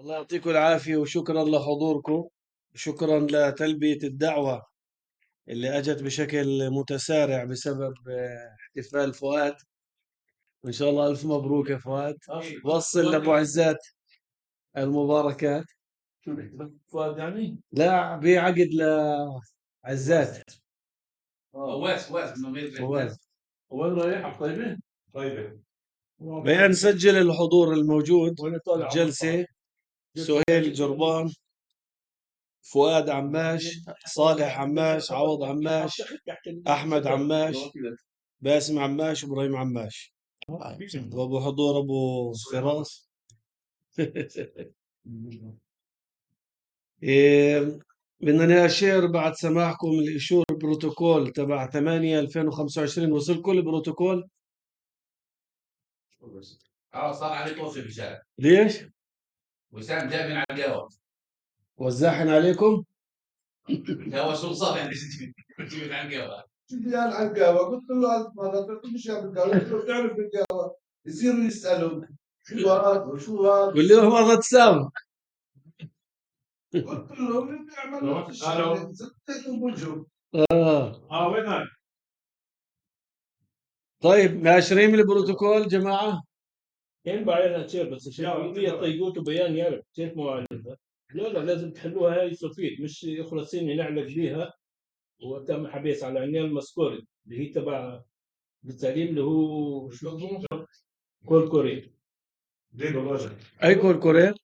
الله يعطيكم العافية وشكرا لحضوركم. شكرا لتلبية الدعوة اللي أجت بشكل متسارع بسبب احتفال فؤاد. وإن شاء الله ألف مبروك يا فؤاد. وصل لأبو عزات المباركات. فؤاد يعني؟ لا بعقد لعزات. فؤاد رايح طيبة؟ طيبة. بيان نسجل الحضور الموجود الجلسة: سهيل جربان، فؤاد عماش، صالح عماش، عوض عماش، أحمد عماش، باسم عماش، إبراهيم عماش، وأبو حضور أبو فراس. بدنا نأشر بعد سماحكم الإشور بروتوكول تبع 8/2025. وصلكم البروتوكول؟ صار عليه توصي وسام. ليش؟ وسام جاي من على القهوة. وزاحن عليكم؟ هو شو صار يعني جاي من على القهوة. جاي على القهوة قلت له ألف مرة مش على القهوة قلت له بتعرف القهوة يصيروا يسألوا شو هذا وشو هذا. قول لهم مرة تساوي. قلت له اللي بيعمل نفس الشغلة زدتهم وجهه. وين طيب ماشرين البروتوكول جماعة؟ كان بعدين تصير بس عشان هي طيقوته بيان يعرف كيف معالجة. لا لازم تحلوها هاي صفيت مش خلاصين نعالج بيها. وتم حبيس على عنيان المسكوري اللي هي تبع بالتعليم اللي هو شو اسمه؟ كول كوري. أي كول كوري؟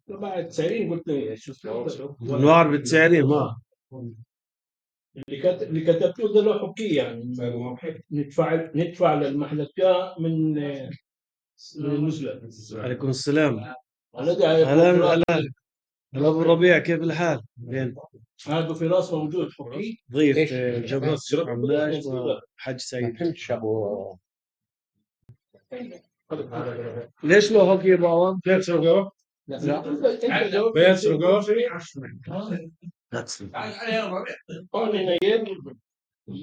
تبع التسعيرين قلت لي شو اسمه؟ نوار بالتسعيرين ما اللي كتبته ده له حكي يعني ندفع للمحلكة من المسلم. عليكم السلام. هلا هلا أبو ربيع، كيف الحال؟ هذا في راس موجود حكي ضيف جبر عماش وحج سعيد. ليش لو حكي بابا؟ بيسرقوا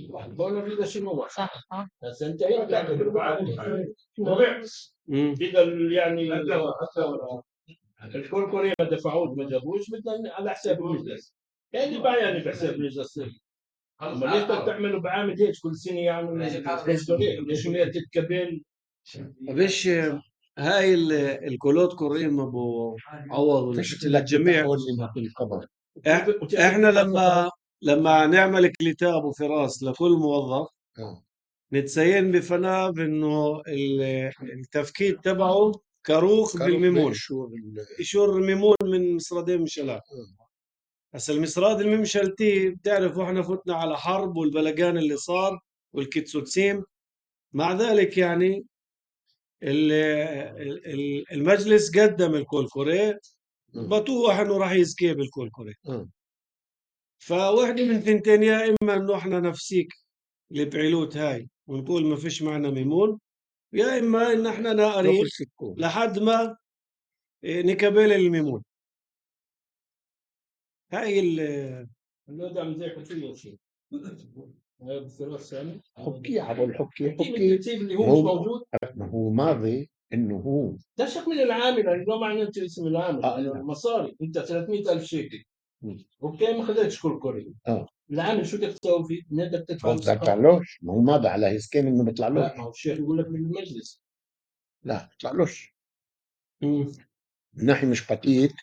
بقول له كده شنو صح بس انت يعني الكل كوريا ما دفعوش ما جابوش بدنا على حساب المجلس يعني بقى يعني بحساب المجلس. اما ليش تعملوا بعامل هيك كل سنه يعني ليش ما تتكبل بش هاي الكولوت كوريم ابو عوض للجميع. احنا لما نعمل كليتاب وفراس لكل موظف نتسين بفناه بانه التفكيك تبعه كروخ بالميمون، إشور الميمون من مصردين مشلات. هسا المصراد الممشلتي بتعرفوا احنا فتنا على حرب والبلقان اللي صار والكتسوتسيم. مع ذلك يعني المجلس قدم الكول كوري بطوح انه راح يزكي بالكول كوري. فواحدة من ثنتين: يا اما انه احنا نفسيك البعيلوت هاي ونقول ما فيش معنا ميمون، يا اما ان احنا ناقرين لحد ما نكبل الميمون. هاي دعم زي حكي شيء حكي عبر الحكي اللي هو مش موجود. ما هو ماضي انه هو ده شق من العامل يعني ما معنى انت اسم العامل المصاري انت 300,000 شيكل اوكي ما خذيتش كل كوري العامل شو بدك تسوي فيه؟ بدك تدفع ما بيطلعلوش. ما هو ماضي على هسكين انه بيطلعلوش. لا ما هو الشيخ يقول لك من المجلس لا بيطلعلوش من ناحيه مش قتيل.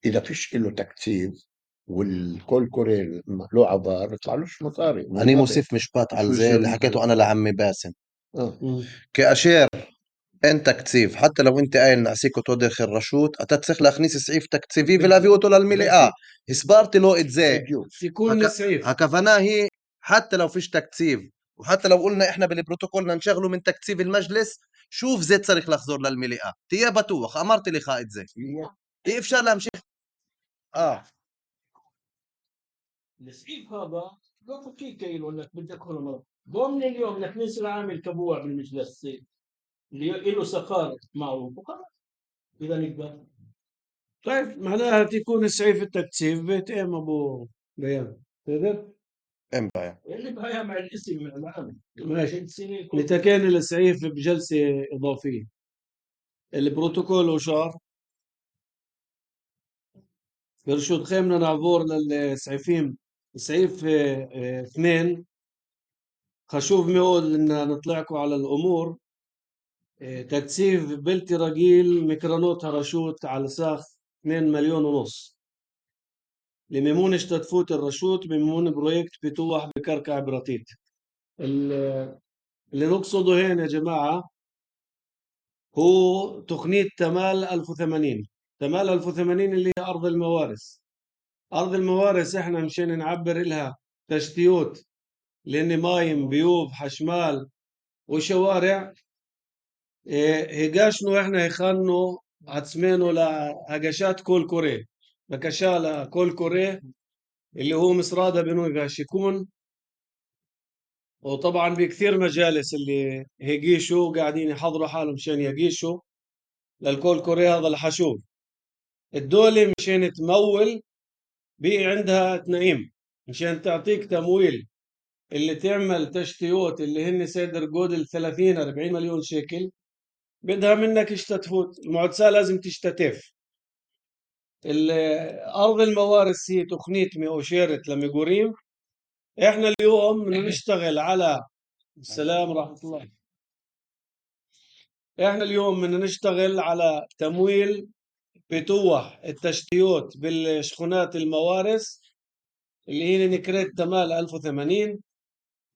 اذا فيش له تكتيب والكل كوري له عبار بيطلعلوش مصاري. أنا موسف مشبات على زي اللي حكيته أنا لعمي باسم. كأشير أنت كتسيف حتى لو أنت قايل نعسيكو تودخ الرشوت أتتسخ لأخنيس سعيف تكتسيفي في لافيوتو للملئة إسبارتي لو إتزاي يكون سعيف هكفناهي. حتى لو فيش تكتيف وحتى لو قلنا إحنا بالبروتوكولنا نشغله من تكتيف المجلس شوف زيت صريخ لخزور للملئة تيا بتوخ أمرت لي خائد زي إفشال لهم شيخ السعيف هذا لو فكي كيلو انك بدك هرمون ضمن اليوم انك ننسى عامل كبوع بالمجلس اللي له سخار معروف وخلاص اذا نقدر. طيب معناها تكون سعيف التكتيف بيت ام ابو بيان تقدر امبايا اللي بها مع الاسم مع العامل ماشي. نتكين السعيف بجلسة إضافية البروتوكول وشار برشود خيمنا نعبور للسعيفين سعيف 2. خشوف ميقول إن نطلعكم على الأمور. تكثيف بلتي رجيل ميكرانوت هرشوت على ساخ 2 مليون ونص لميمون اشتتفوت الرشوت بميمون بروجكت بتوح بكركع براتيت. اللي نقصده هنا يا جماعة هو تقنية تمال 1080. تمال 1080 اللي هي أرض الموارث. أرض الموارث إحنا مشان نعبر إلها تشتيوت لأن مايم بيوب حشمال وشوارع. هيقاشنو إحنا يخانو عتسمينو لهقاشات كول كوري بكشالة كول كوري اللي هو مصرادة بنوي غاشيكون. وطبعا بكثير مجالس اللي هيقيشوا قاعدين يحضروا حالهم مشان يقيشوا للكول كوري هذا الحشوف. الدولة مشان تمول بي عندها تنعيم مشان تعطيك تمويل اللي تعمل تشتيوت اللي هن سيدر جودل 30-40 مليون شيكل بدها منك اشتتفوت. المعدسة لازم تشتتف. أرض الموارث هي تقنية ميوشيرت لميقوريم. احنا اليوم نشتغل على السلام ورحمة الله. احنا اليوم بدنا نشتغل على تمويل بتوح التشتيوت بالشخونات الموارث اللي هي نكريت تمال 1080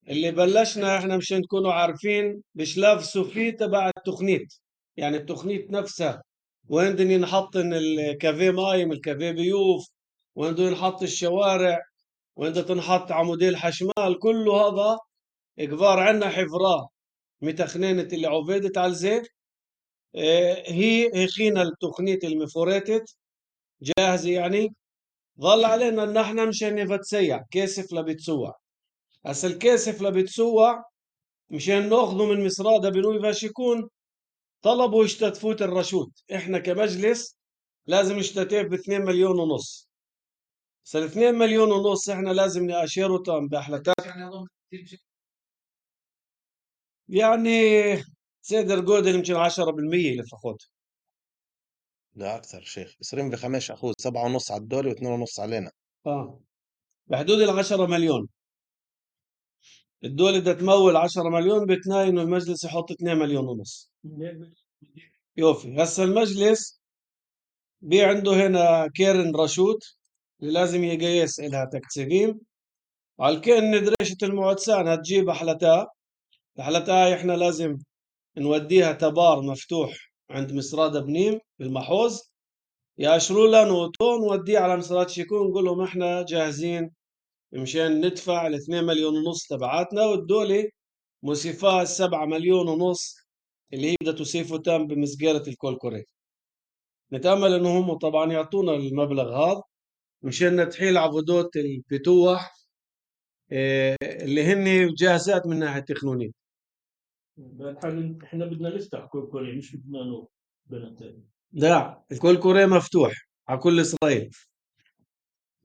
اللي بلشنا احنا مشان تكونوا عارفين بشلاف سوفي تبع التقنيت. يعني التقنيت نفسها وين بدنا ينحط الكافيه مايم الكافيه بيوف وين بده ينحط الشوارع وين بدها تنحط عمودي الحشمال كله هذا كبار عنا حفراه متخنينة اللي عوفيدت على الزيت. هي خينا التقنية المفوريتت جاهزة. يعني ظل علينا ان احنا مشان نفتسيع كيسف لبتسوع. هسا الكيسف لبتسوع مشان ناخذه من مصرادة بنوي فاشيكون طلبوا يشتتفوت الرشوت. احنا كمجلس لازم نشتتف ب2 مليون ونص. هسا 2 مليون ونص احنا لازم نأشيره تام بأحلتات يعني سيدر جودل يمكن 10% لفخوت. لا أكثر شيخ 25 أخوذ 7.5 على الدولة و2.5 علينا. بحدود 10 مليون. الدولة بدها تمول 10 مليون بتناين والمجلس يحط 2 مليون ونص. يوفي. هسا المجلس بي عنده هنا كيرن رشوت اللي لازم يقيس إلها تكتسبين على كأن ندرشة المعدسان هتجيب أحلتها. الأحلتها إحنا لازم نوديها تبار مفتوح عند مصراد بنيم بالمحوظ ياشروا لنا نوتون نوديه على مصراد شيكون نقول لهم إحنا جاهزين مشان ندفع 2 مليون ونص تبعاتنا والدولة موسيفاها 7 مليون ونص اللي هي بدها توسيفه تام بمسجرة الكول كوري. نتأمل إنه هم طبعا يعطونا المبلغ هذا مشان نتحيل عبودات البتوح اللي هن جاهزات من ناحية تقنية. بالحال احنا بدنا نفتح كول كوري مش بدنا نو بنتين. لا الكول كوري مفتوح على كل إسرائيل.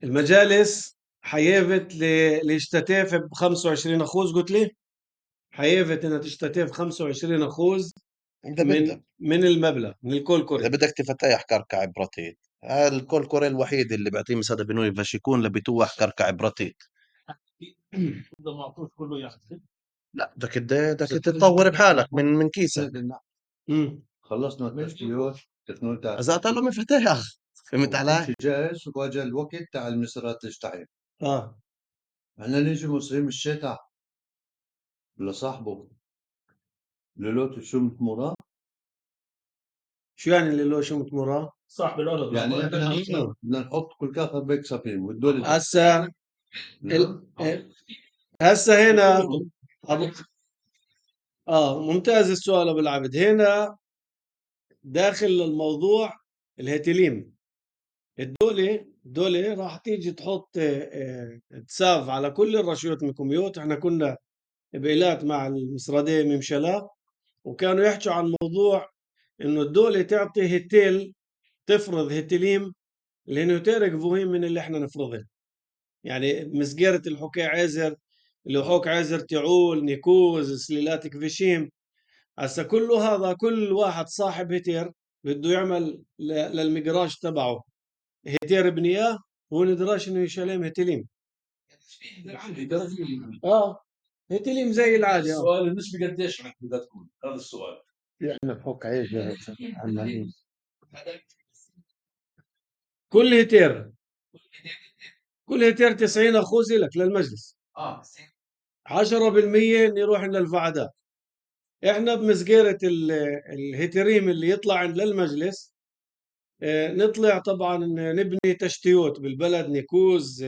المجالس حيفت ليشتتف ب 25 أخوذ. قلت لي حيفت إنها تشتتف 25 أخوذ من المبلغ من الكول كوري. إذا بدك تفتح كركع براتيت الكول كوري الوحيد اللي بيعطيه مساعدة بنوي فاشيكون لبتوح كركع براتيت. إذا ما أعطوش كله يحسب. لا بدك تتطور بحالك من كيسك. خلصنا التشتيوت إذا أعطى له مفتاح فهمت علي؟ جاهز وجا الوقت تاع المسرات تشتغل. احنا نيجي مصريين الشتاء لصاحبه لولوت شو متمورا. شو يعني اللي له شو متمورا؟ صاحب الأرض يعني احنا بدنا نحط كل كافة بيكسفين والدولة هسا هسا هنا ممتاز السؤال ابو العبد. هنا داخل الموضوع الهتليم. الدولة راح تيجي تحط تساف على كل الرشوات المحكوميات. احنا كنا بإيلات مع المصرادية ممشلا وكانوا يحكوا عن موضوع انه الدولة تعطي هتيل تفرض هتليم لانه تارك فوهين من اللي احنا نفرضه. يعني مسجرة الحكاية عازر اللي حوك عازر تعول نيكوز سليلات كفيشيم. هسا كله هذا كل واحد صاحب هتير بده يعمل للمجراج تبعه هيتير بنياه هو ندراش انه يشالم هيتليم. هيتليم زي العادي. السؤال النسبة قديش بدها تكون؟ هذا السؤال. يعني بحك عيش عمالين كل هيتير 90 أخوذ لك للمجلس. 10% يروح للفعداء. احنا بمسجرة الهيتريم اللي يطلع عند للمجلس نطلع طبعا نبني تشتيوت بالبلد، نيكوز،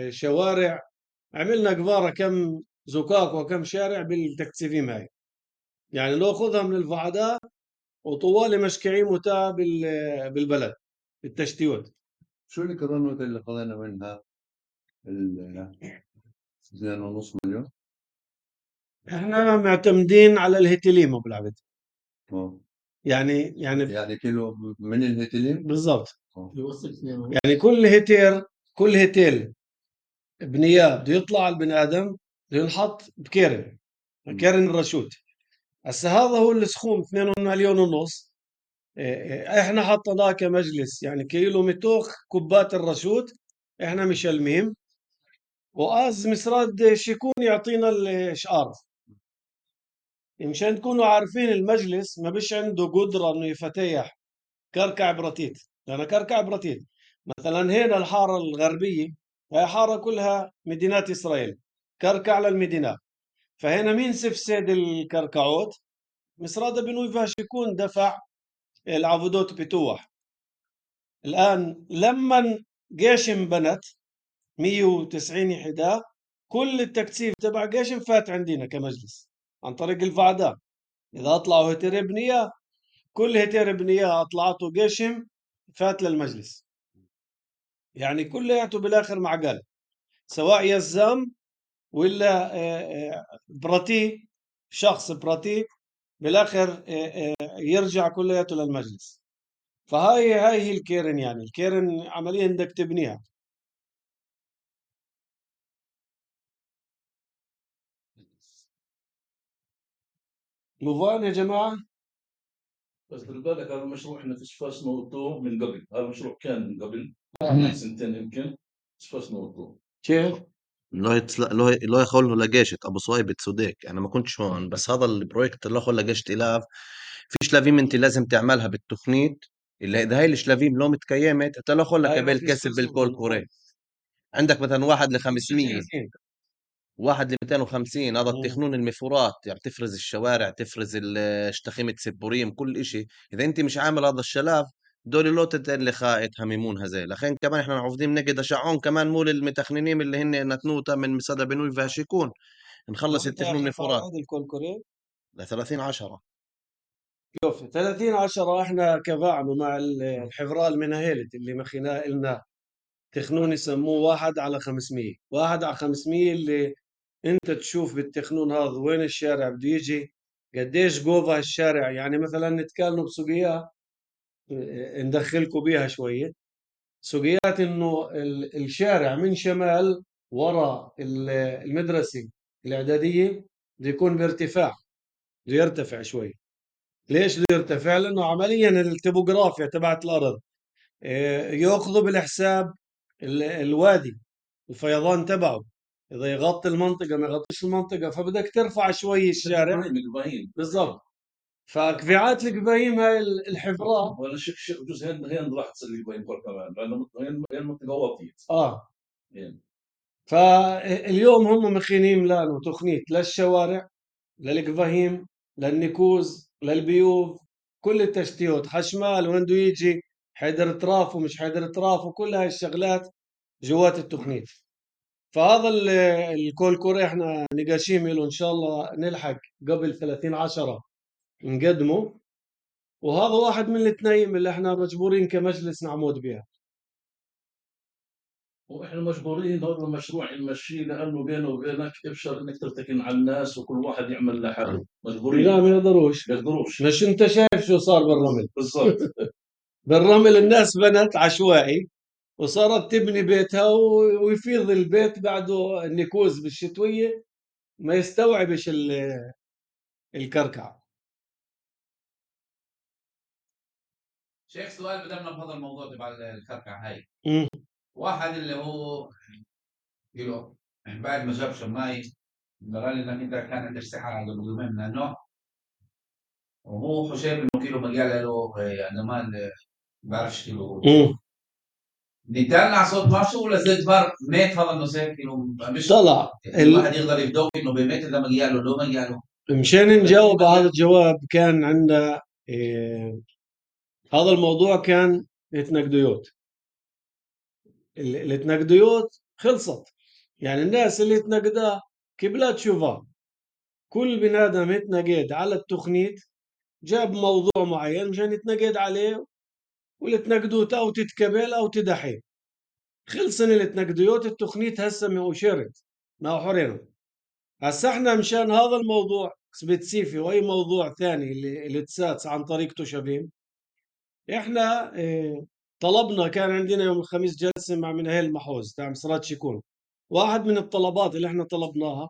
شوارع. عملنا قبارة كم زقاق وكم شارع بالتكثيفيم هاي، يعني ناخذها من الفعداء وطوالي مشكعين متاع بالبلد بالتشتيوت. شو الكرونات اللي خذينا منها 2.5 مليون؟ احنا معتمدين على الهيتليم ابو العبد. يعني كيلو من الهيتليم بالضبط. يعني كل هيتيل بنياه بده يطلع البني ادم بده ينحط بكيرن الرشود. هسه هذا هو السخوم 2.5 مليون. احنا حطيناه كمجلس يعني كيلو متوخ كوبات الرشود احنا مشلمين، وآز مسراد شيكون يعطينا الاشعار مشان تكونوا عارفين المجلس ما بش عنده قدرة انه يفتيح كركع برتيت. لأن كركع برتيت مثلا هنا الحارة الغربية هي حارة كلها مدينات إسرائيل، كركع للمدينات. فهنا مين سفسد الكركعوت؟ مصراد بنوي فاشيكون دفع العبودات بتوح. الآن لما جيشم بنت 190 يحدا، كل التكثيف تبع جيشم فات عندنا كمجلس عن طريق الفعداء. إذا أطلعوا هيتر بنية، كل هيتر بنية أطلعته جيشم فات للمجلس. يعني كلياته بالآخر معقل، سواء يزام ولا براتي، شخص براتي بالآخر يرجع كلياته للمجلس. فهاي هي الكيرن. يعني الكيرن عمليا بدك تبنيها. مفان يا جماعة؟ بس خلي بالك هذا المشروع احنا فاش موضوع من قبل، هذا المشروع كان من قبل سنتين يمكن، فاش موضوع كيف؟ لو يخولوا لقيشت ابو صوايب سوديك، انا ما كنتش هون، بس هذا البروجكت اللي خول لقيشت الاف في شلافيم انت لازم تعملها بالتخنيت، اللي اذا هاي الشلافيم لو متكيمت انت لا خول لك هاي ما قبل فيش كسب قصة بالكول كوري. عندك مثلا 1 ل 500 1 ل 250 هذا التخنون المفورات، يعني تفرز الشوارع، تفرز شتخيمة سبوريم، كل إشي. إذا أنت مش عامل هذا الشلاف دول لوتة اللي خائت هميمون هزي. لخين كمان إحنا عوفدين نجد شعون كمان مول المتخننين اللي هن نتنوتا من مسادة بنوي فاشيكون نخلص التخنون المفورات ل 30/10. شوف 30/10 احنا كفاعنا مع الحفرال من هيلت اللي مخينا لنا تخنون يسموه 1/500. 1/500 اللي انت تشوف بالتخنون هذا وين الشارع بده يجي، قديش جوفا الشارع. يعني مثلا نتكلم بسوقيات ندخلكم بيها شوية. سوقيات انه الشارع من شمال ورا المدرسة الإعدادية بده يكون بارتفاع، بده يرتفع شوي. ليش بده يرتفع؟ لأنه عمليا التopografia تبعت الأرض يأخذوا بالحساب الوادي الفيضان تبعه، إذا يغطي المنطقة ما يغطيش المنطقة، فبدك ترفع شوي الشارع. بالضبط. فكفيعات القبايم هاي الحفرات ولا شيء جزء هين راح تصير القبايم كمان لأنه هين المنطقة واطية. فاليوم هم مخينين لانه تخنيت للشوارع، للقفاهيم، للنكوز، للبيوف، كل التشتيوت، حشمال وين بده يجي، حيدر تراف ومش حيدر تراف، وكل هاي الشغلات جوات التخنيت. فهذا الكول كوري احنا نقاشيم له ان شاء الله نلحق قبل 30/10 نقدمه. وهذا واحد من التنايم اللي احنا مجبورين كمجلس نعمود بها. واحنا مجبورين هذا المشروع نمشيه لانه بينه وبينك ابشر انك ترتكن على الناس وكل واحد يعمل لحاله. مجبورين. لا ما يقدروش. مش انت شايف شو صار بالرمل؟ بالضبط. بالرمل الناس بنت عشوائي وصارت تبني بيتها ويفيض البيت بعده النكوز بالشتوية ما يستوعبش الكركع. شيخ سؤال بدلنا بهذا الموضوع تبع الكركع هاي. مم. واحد اللي هو كيلو بعد ما جاب شماي قال لي انك انت كان عندك ساعه قبل يومين من النوع، وهو شايف انه كيلو مجال له انما بعرفش كيلو نتكلم على صوت ماشو ولا زي جبار مات هذا المسافر كيلو مش طلع الواحد يقدر يبدو انه بمات اذا مجاله لو مجاله. مشان نجاوب على هذا الجواب كان عندنا هذا الموضوع كان التنقديوت. التنقديوت خلصت، يعني الناس اللي تنقدها كبلات شوفها، كل بني ادم يتنقد على التخنيت جاب موضوع معين مشان يتنقد عليه، والتنقدوت او تتكبل او تدحي. خلصن التنقديوت، التخنيت هسه ما أشرت ما حرنا. هسه احنا مشان هذا الموضوع سبيسيفي واي موضوع ثاني اللي تساتس عن طريق تشابين، احنا طلبنا، كان عندنا يوم الخميس جلسه مع منهل المحوز تاع مصرات شيكون. واحد من الطلبات اللي احنا طلبناها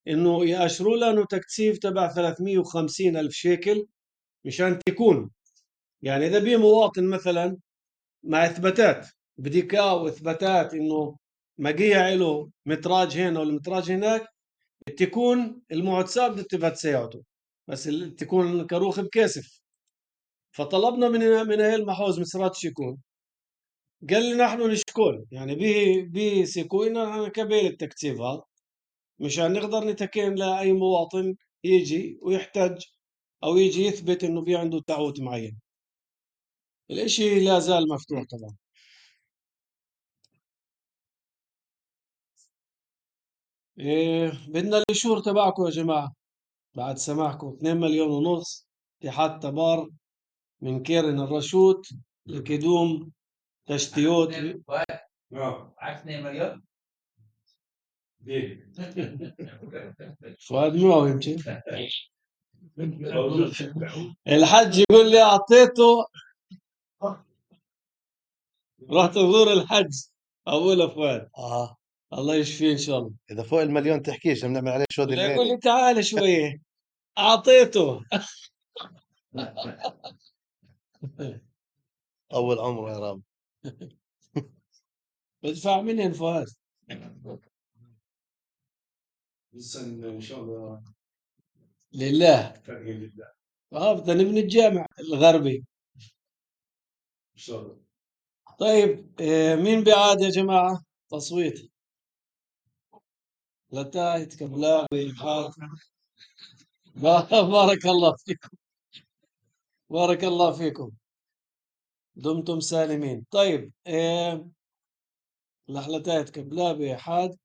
انه ياشروا لنا تكثيف تبع 350 الف شيكل مشان تكون، يعني اذا بي مواطن مثلا مع اثباتات بديكا واثباتات انه مقيع له متراج هنا ولا متراج هناك، تكون المعتصاب بدها سيارته بس تكون كروخ بكاسف. فطلبنا من اهل محوز مصرات شيكون، قال لي نحن نشكل يعني به سيكوينا كبير التكتيف هذا مشان نقدر نتكين لاي مواطن يجي ويحتاج او يجي يثبت انه في عنده تعوت معين. الاشي لا زال مفتوح طبعا. بدنا الإشور تبعكم يا جماعة بعد سماحكم. 2 مليون ونص اتحاد تبار من كيرن الرشوت لكدوم تشتيوت. عكس 2 مليون فؤاد معه يمكن. الحج يقول لي أعطيته، رحت أزور الحج أقول له فؤاد الله يشفيه إن شاء الله. اذا فوق المليون تحكيش بنعمل عليه شو يقول الليل. لي تعال شوية أعطيته. طول عمره يا رب. بدفع منين فؤاد؟ ان شاء الله لله. لله بدنا نبني الجامع الغربي ان شاء الله. طيب مين بيعاد يا جماعة تصويت؟ لتايت كبلاوي حال. بارك الله فيكم، بارك الله فيكم، دمتم سالمين. طيب لحلتايت كبلاوي حاد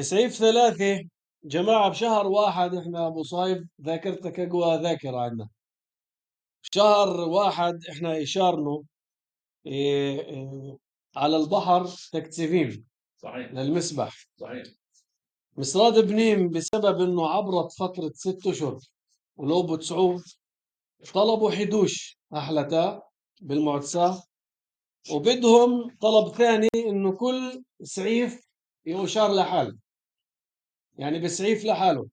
سعيف 3 جماعة بشهر واحد. احنا ابو صايب ذاكرتك اقوى ذاكرة عندنا. بشهر واحد احنا اشارنا على البحر تكتيفين صحيح للمسبح. صحيح. مصراد بنيم بسبب انه عبرت فترة 6 اشهر ولو بتسعوه طلبوا حدوش أحلتا بالمعتصاه، وبدهم طلب ثاني انه كل سعيف يشار لحاله، يعني بسعيف لحاله.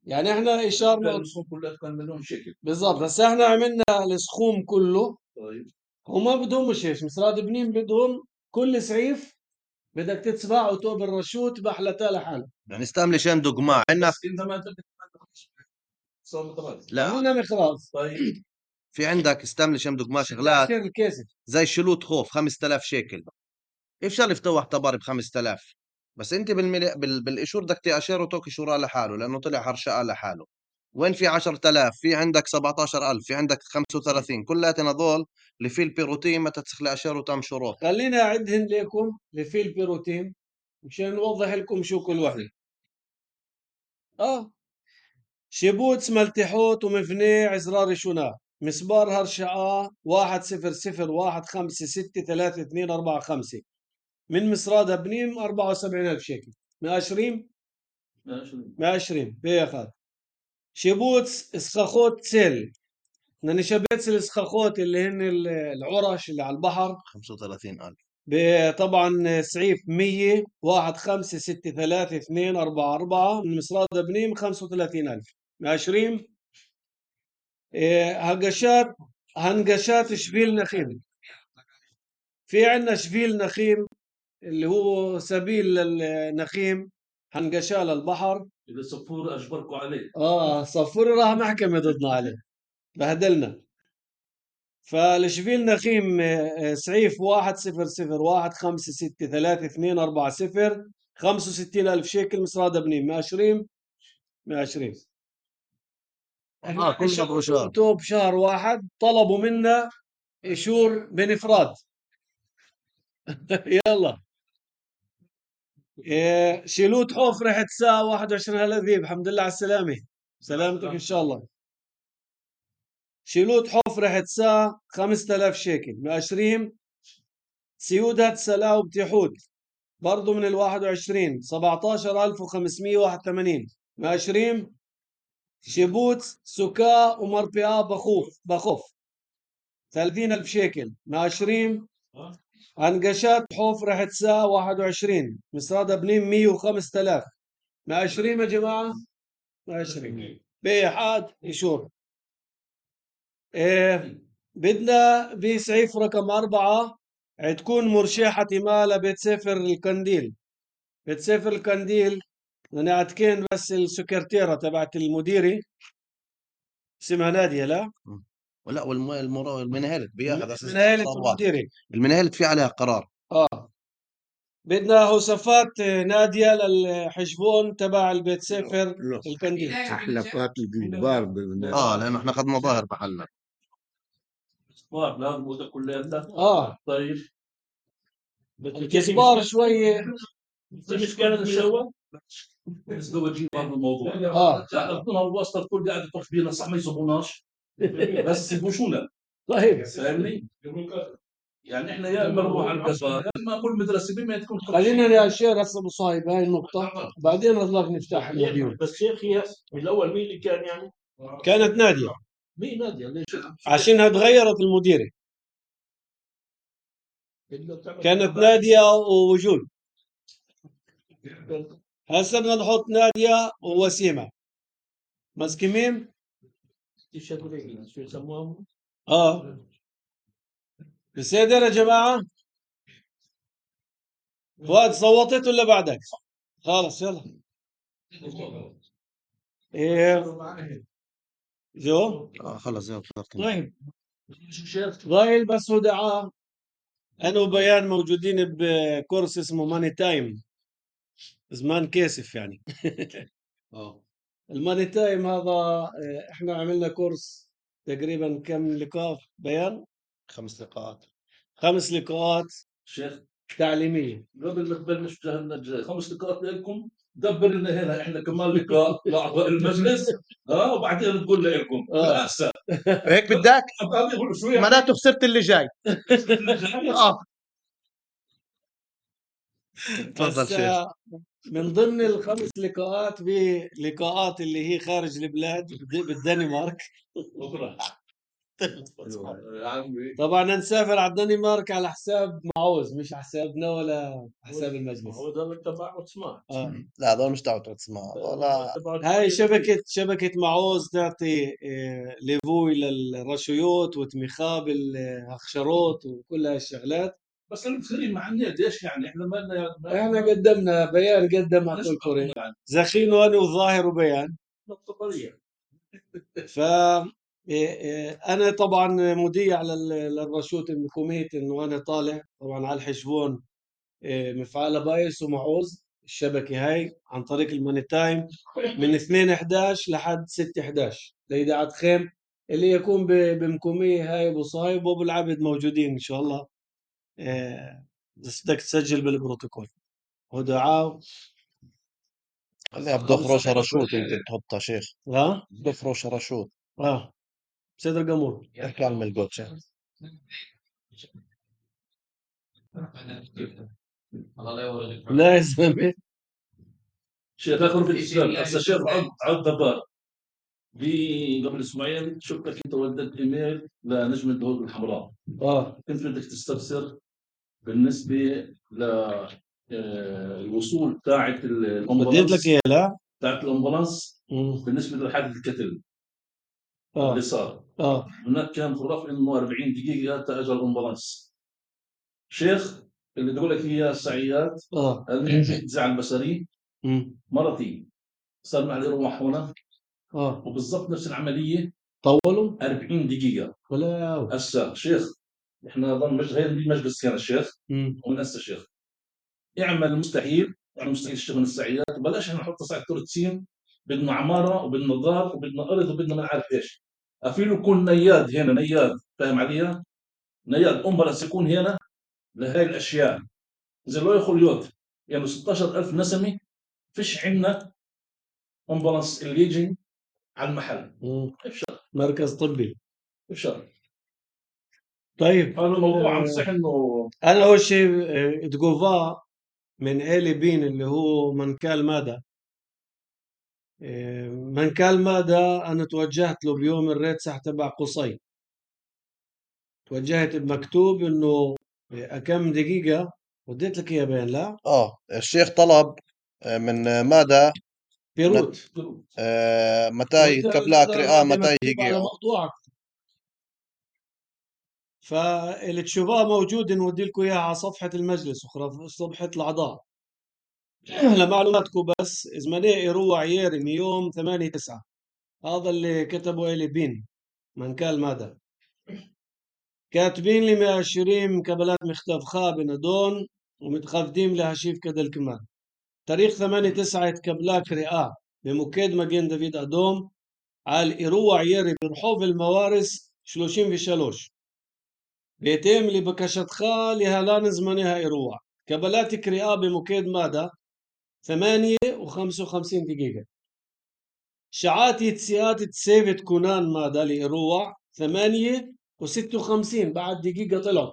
يعني احنا اشارنا كلها كان مليون شكل بالضبط، بس احنا عملنا السخوم كله. طيب وما بدهم مش هيك، مصراد بنيم بدهم كل سعيف بدك تتبعه توب الرشوت بحلتا لحاله. يعني استعمل شان دقماع عندنا. بس انت ما صار طبعا لا عملنا مخراز. طيب في عندك استعمل شان دقماع شغلات تأشير الكاسف زي شلوت خوف 5000 شيكل. افشل يفتوح طبر ب 5000، بس انت بالاشور بدك تاشر وتوكي شورى لحاله لانه طلع هرشقه لحاله. وين في 10000 في عندك 17000 في عندك 35 كلاتنا هذول اللي في البيروتين ما تتسخ اشار وتم شروط. خليني اعدهن لكم لفي البيروتين مشان نوضح لكم شو كل وحده. شيبوتس ملتحوت ومفني عزرار شنا مسبار هرشعاء 1001563245 من مصراد بنيم 74,000 شيكل. ماشرين ماشرين بياخد. شيبوتس اسخاخوت سيل نشبتس الاسخاخوت اللي هن العرش اللي على البحر 35000. طبعا سعيف 100 15633244 من مصراد بنيم 35,000 ماشرين. هقشات هنقشات شبيل نخيم. في عندنا شبيل نخيم اللي هو سبيل للنخيم، هنقشاه للبحر. إذا صفور أجبركوا عليه. صفوري راح محكمة ضدنا عليه، بهدلنا. فالشبيل نخيم سعيف 100156324 65,000 شيكل مصرادة بنين ماشرين 120. كل مبروشات. توب شهر واحد طلبوا منا إشور بنفراد. يلا شيلوت حفرة حتسا 21 هالذيب. الحمد لله على السلامة، سلامتك إن شاء الله. شيلوت حفرة حتسا 5000 شيكل ماشرين. سيودة سلاو بتيحود برضو من 21 17,581 ماشرين. شبوت سكا ومربئة بخوف 30,000 شيكل ماشرين. عنقشات حفرة حتسا 21 مصرادة بنين 105,000 ماشرين يا جماعة ماشرين. بيحاد يشور. بدنا بسعيف رقم 4 تكون مرشحة مال بيت سفر القنديل. بيت سفر القنديل أنا عتكين بس السكرتيرة تبعت المديري اسمها نادية. لا ولا والمنهلت بياخذ اساس منهلة المديري. المنهلت في عليها قرار. بدنا هوسفات نادية للحجبون تبع البيت سفر القنديل. تحلفات الجبار لانه احنا اخذنا ظاهر محلنا. لازم وده كلها. طيب الكزبار شوية مش كانت الشوى بس هو جيب برضه الموضوع. احنا الواسطه الكل قاعد يطرح بينا صح ما يصبوناش بس يبوشونا. طيب فاهمني؟ يعني احنا يا اما نروح على القصر يا اما كل مدرسه بما تكون خلينا يا شيخ هسه ابو صايب هاي النقطة بعدين نضلك نفتح المديون. بس شيخ الاول مين اللي كان يعني؟ كانت نادية. مين نادية؟ ليش؟ عشانها تغيرت المديرة. كانت نادية ووجود. هسه بدنا نحط نادية ووسيمة مسكمين. شو يسموها؟ بصدر يا جماعة. فؤاد صوتت ولا بعدك؟ خلص يلا. جو خلص يلا. طيب ضايل بس هو دعاء. أنا وبيان موجودين بكورس اسمه ماني تايم، زمان كاسف يعني. الماني تايم هذا احنا عملنا كورس تقريبا كم لقاء بيان؟ 5 لقاءات. 5 لقاءات شيخ تعليمية. قبل ما تبلش جهنم 5 لقاءات لكم دبر لنا هنا احنا كمان لقاء لاعضاء المجلس وبعدين تقول لكم احسن. هيك بدك؟ معناته خسرت اللي جاي. تفضل شيخ. من ضمن ال5 لقاءات بلقاءات اللي هي خارج البلاد بالدنمارك. طبعا نسافر على الدنمارك على حساب معوز مش حسابنا ولا حساب المجلس. هو ده تبع عثمان. لا هذول مش تبع عثمان ولا. هاي شبكة معوز تعطي ليفوي للرشيوت وتمخاه بالهخشروت وكل هالشغلات. بس المسلمين مع النت ايش يعني احنا ما لنا احنا قدمنا بيان قدم على كل كوري زخين وانا وظاهر وبيان. ف انا طبعا مذيع للرشوت المكوميت انه انا طالع طبعا على الحجبون مفعله بايس ومعوز الشبكه هاي عن طريق الماني تايم من 2/11 لحد 6/11 لإذاعة خيم اللي يكون بمكوميه هاي ابو صايب وابو العبد موجودين ان شاء الله. بس بدك تسجل بالبروتوكول ودعاء. خليها بدفروش رشوت يمكن تحطها شيخ. بدفروش رشوت. صدر قمور. احكي عن الملقوت شيخ. لا يا زلمه شيخ اخر في الاسلام هسه شيخ عبد دبار قبل اسبوعين شفتك انت وديت ايميل لنجم الدهود الحمراء. كنت بدك تستفسر بالنسبه ل الوصول تاعت الامبولانس. بديت لك اياه لا تاعت الامبولانس بالنسبه لحادث القتل. اللي صار هناك كان خرافي انه 40 دقيقه تاجر الامبولانس. شيخ اللي تقول لك اياه السعيات النزاع البصري مرتي صار معي روح هنا وبالضبط نفس العمليه طولوا 40 دقيقه ولا هسه شيخ احنا ضل غير المجلس كان الشيخ ومن هسه الشيخ اعمل المستحيل يعني مستحيل الشيخ من السعيات وبلاش احنا نحط ساعه تورتسين بدنا عماره وبدنا دار وبدنا ارض وبدنا ما نعرف ايش افيلو يكون نياد هنا نياد فاهم علي؟ نياد امبرس يكون هنا لهي الاشياء زي لو يخل يود يعني 16,000 نسمه فيش عندنا امبولانس اللي يجي على المحل افشل مركز طبي افشل. طيب هذا الموضوع عم صح انه انا اول شيء تجوفا من إيلي بين اللي هو منكال مادا منكال مادا انا توجهت له بيوم الريتسح تبع قصي توجهت بمكتوب انه كم دقيقة وديت لك اياه بين لا الشيخ طلب من ماذا بيروت متى يتكب لك رئة متى يجي فاللي تشوفوها موجود نودي لكم اياها على صفحة المجلس صفحة الأعضاء. لمعلوماتكم بس إزمانية إيرو عييري من يوم 8/9 هذا اللي كتبه إلي بين منكال ماذا كاتبين لي ماشرين كبلات مختفخة بندون ومتخفدين لها شيف كدل كمان تاريخ 8/9 يتكبلاك رئة بمكيد مجين دافيد أدوم على إيرو عييري برحوف الموارس 33 بيتم لبكشتخ لهلان زمنها إيروع كبلات كريئة بمكيد ماذا 8:55 دقيقة شعات يتسيات تسيفت كونان ماذا لإيروع 8:56 بعد دقيقة طلعوا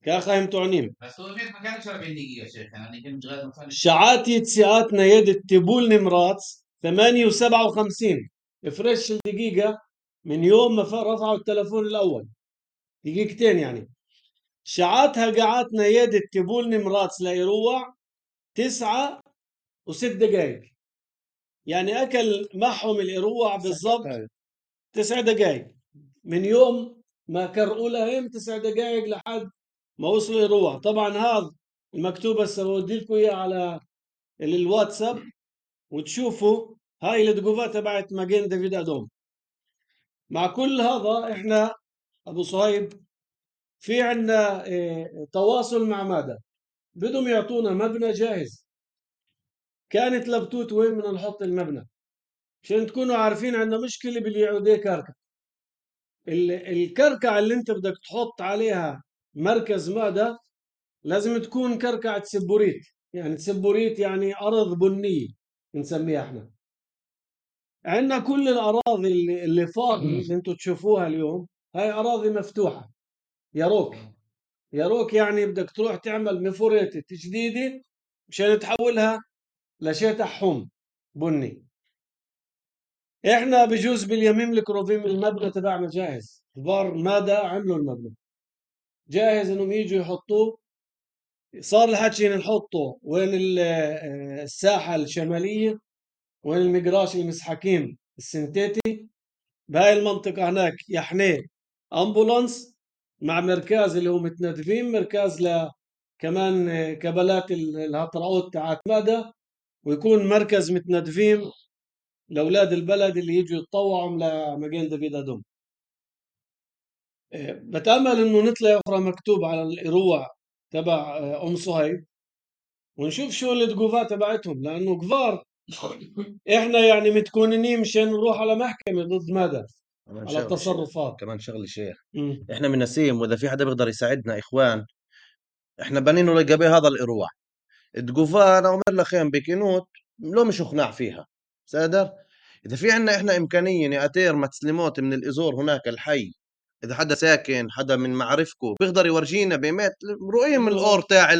كاخا يمتعنين بس هو ما كانش 40 دقيقة شيخ يعني كنت غير شعات يتسيات نيد التبول نمرات 8:57 افرش الدقيقة من يوم ما رفعوا التلفون الأول دقيقتين يعني شعاتها قعدت نيادة تبول نمرات ليروع 9:06 يعني أكل معهم الإروع بالضبط 9 دقائق من يوم ما كرقوا لهم 9 دقائق لحد ما وصلوا إروع. طبعا هذا المكتوب هسه بودي لكم إياه على الواتساب وتشوفوا هاي الدقوفات تبعت ماجين دافيد أدوم. مع كل هذا إحنا أبو صهيب في عندنا تواصل مع ماذا بدهم يعطونا مبنى جاهز كانت لبتوت وين بدنا نحط المبنى عشان تكونوا عارفين عندنا مشكلة باللي يعوديه كركع الكركع اللي انت بدك تحط عليها مركز ماذا لازم تكون كركعة سبوريت يعني سبوريت يعني أرض بنية نسميها احنا عندنا كل الأراضي اللي فاضية اللي انتم تشوفوها اليوم هاي أراضي مفتوحة يروك يعني بدك تروح تعمل مفوريتة تجديدة مشان تحولها لشيء حوم بني. احنا بجوز باليمين الكروفين المبنى تبعنا جاهز البار ماذا عملوا المبنى جاهز انهم يجوا يحطوه صار الحكي نحطه وين الساحة الشمالية وين المقراش المسحكين السنتيتي بهاي المنطقة هناك يحنيه امبولانس مع مركز اللي هو متندفين مركز كمان كبلات الهطرعوت تاعت ماذا ويكون مركز متندفين لأولاد البلد اللي يجوا يتطوعوا لمجين دافيد أدوم. بتأمل إنه نطلع أخرى مكتوب على الإروع تبع أم صهيب ونشوف شو التقوفات تبعتهم لأنه كبار إحنا يعني متكونين مشان نروح على محكمة ضد ماذا على التصرفات. كمان شغلي شيخ إحنا من نسيم وإذا في حدا بيقدر يساعدنا إخوان إحنا بنينه لقبي هذا الإروع تقوفا أنا عمر لخيم بكينوت لو مش اقناع فيها سادر إذا في عنا إحنا إمكانية نأتير متسلموت من الإزور هناك الحي إذا حدا ساكن حدا من معرفكم بيقدر يورجينا بيمات رؤية من الأور تاع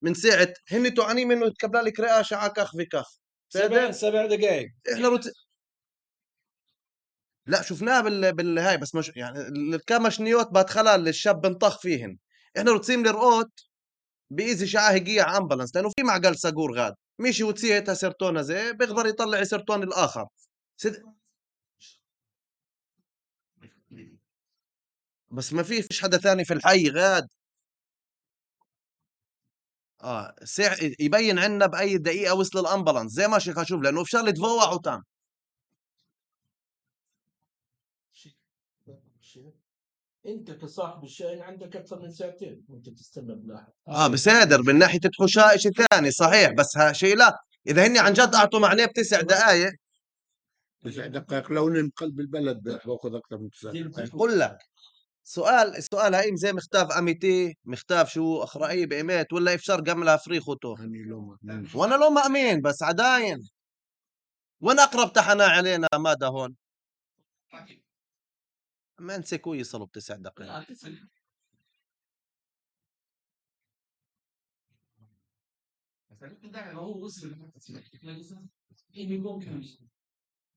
من ساعة هن توعني منه يتكبل لك رئة على كخ في كخ 7 دقائق إحنا لا شفناها بالهاي بس مش يعني الكمشنيوت بادخلها الشاب بنطخ فيهن إحنا روتسيم لرقوت بإيزي شعاه هجية أمبلانس لأنه في معقل ساقور غاد مشي وتسيتها سيرتون زي بيقدر يطلع سيرتون الآخر بس ما فيش حدا ثاني في الحي غاد. يبين عنا بأي دقيقة وصل الأمبولانس زي ما شيخ أشوف، لأنه في شغلة تفوع وتم. انت كصاحب الشاي عندك اكثر من ساعتين وانت تستنى بلاحق. بصادر من ناحية الحشاء شيء ثاني صحيح، بس شيء لا، إذا هني عن جد أعطوا معناه ب9 دقائق. 9 دقائق لو من قلب البلد باخذ اكثر من 9 دقائق. بقول لك السؤال هاي زي مختاف أميتي، مختاف شو أخرائي بإيمات ولا إفشار قملها فريخوتو. وأنا لو ما أمين بس عداين وين أقرب تحنا علينا ماذا هون ما نسيكوا يصلوا ب9 دقائق.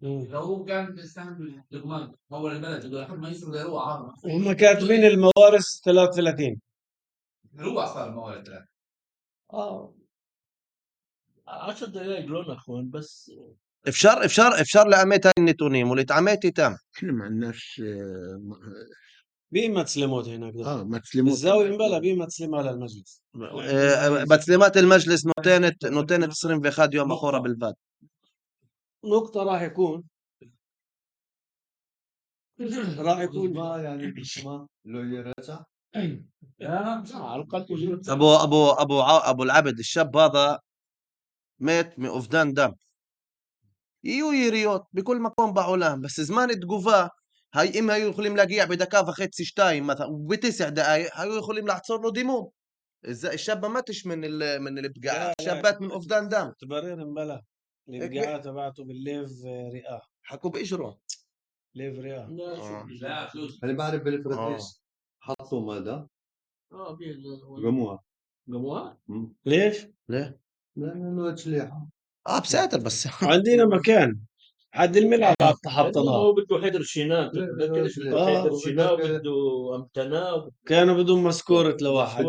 لو هو كان بيستعمل لقمان اول البلد لحد ما يوصل لهو هم كاتبين الموارث 33 هو صار الموارد 3 10 دقائق لون اخوان بس. افشار لأميت هاي النتونيم واللي تعميتي تم. احنا ما عندناش بمسلموت هناك مسلموت الزاوية مبلا بمسلمة على المجلس. بتسليمات المجلس نوتين تصريم في خاد يوم أخورة بالفات. نقطة راح يكون ما يعني ما لو يرجع على الأقل ابو العبد الشاب هذا مات من أفدان دم يريوت بكل مكان بعولان، بس زمان تقوفا هاي إما يخلي ملاقيع بدكافة خيت سشتايم مثلا ب9 دقائق هاي يخلي ملاحصر له دموم. الشابة ماتش من البقاع، شابات من أفدان دم تبرر مبلا البقاعات تبعته بالليف رئة حكوا بإجره ليف رئة. لا انا بعرف بالفراتيس حطوا ماذا قموها ليش؟ ليه؟ لانه تشليحه بساتر بس عندنا مكان حد الملعب حطناه. هو بده حيدر شينان، بده حيدر شينان بده امتناو كانوا بدهم مسكورة لواحد.